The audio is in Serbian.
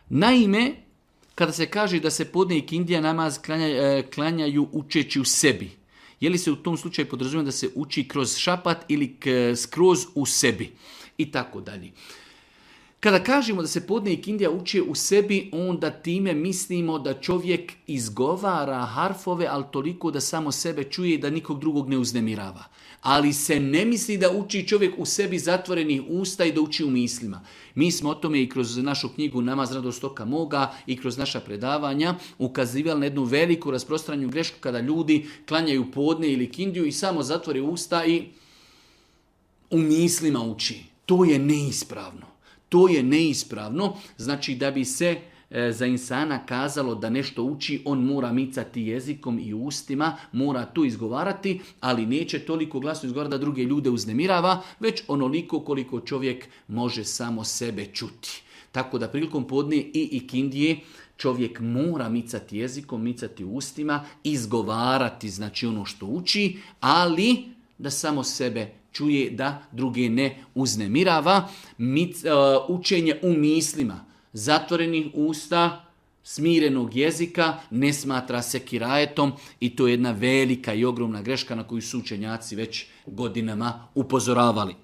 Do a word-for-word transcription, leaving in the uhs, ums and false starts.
Naime, kada se kaže da se podne ikindija namaz klanja, klanjaju učeći u sebi, je li se u tom slučaju podrazumijeva da se uči kroz šapat ili skroz u sebi i tako dalje. Kada kažemo da se podne ikindija uči u sebi, onda time mislimo da čovjek izgovara harfove, ali toliko da samo sebe čuje i da nikog drugog ne uznemirava. Ali se ne misli da uči čovjek u sebi zatvorenih usta i da uči u mislima. Mi smo o tome i kroz našu knjigu Namaz radost oka moga i kroz naša predavanja ukazivali na jednu veliku rasprostranju grešku kada ljudi klanjaju podne ili ikindiju i samo zatvore usta i u mislima uči. To je neispravno. To je neispravno, znači da bi se e, za insana kazalo da nešto uči, on mora micati jezikom i ustima, mora to izgovarati, ali neće toliko glasno izgovarati da druge ljude uznemirava, već onoliko koliko čovjek može samo sebe čuti. Tako da prilikom podne i ikindije čovjek mora micati jezikom, micati ustima, izgovarati znači ono što uči, ali da samo sebe čuje, da druge ne uznemirava. Mic, uh, učenje u mislima, zatvorenih usta, smirenog jezika ne smatra se kirajetom i to je jedna velika i ogromna greška na koju su učenjaci već godinama upozoravali.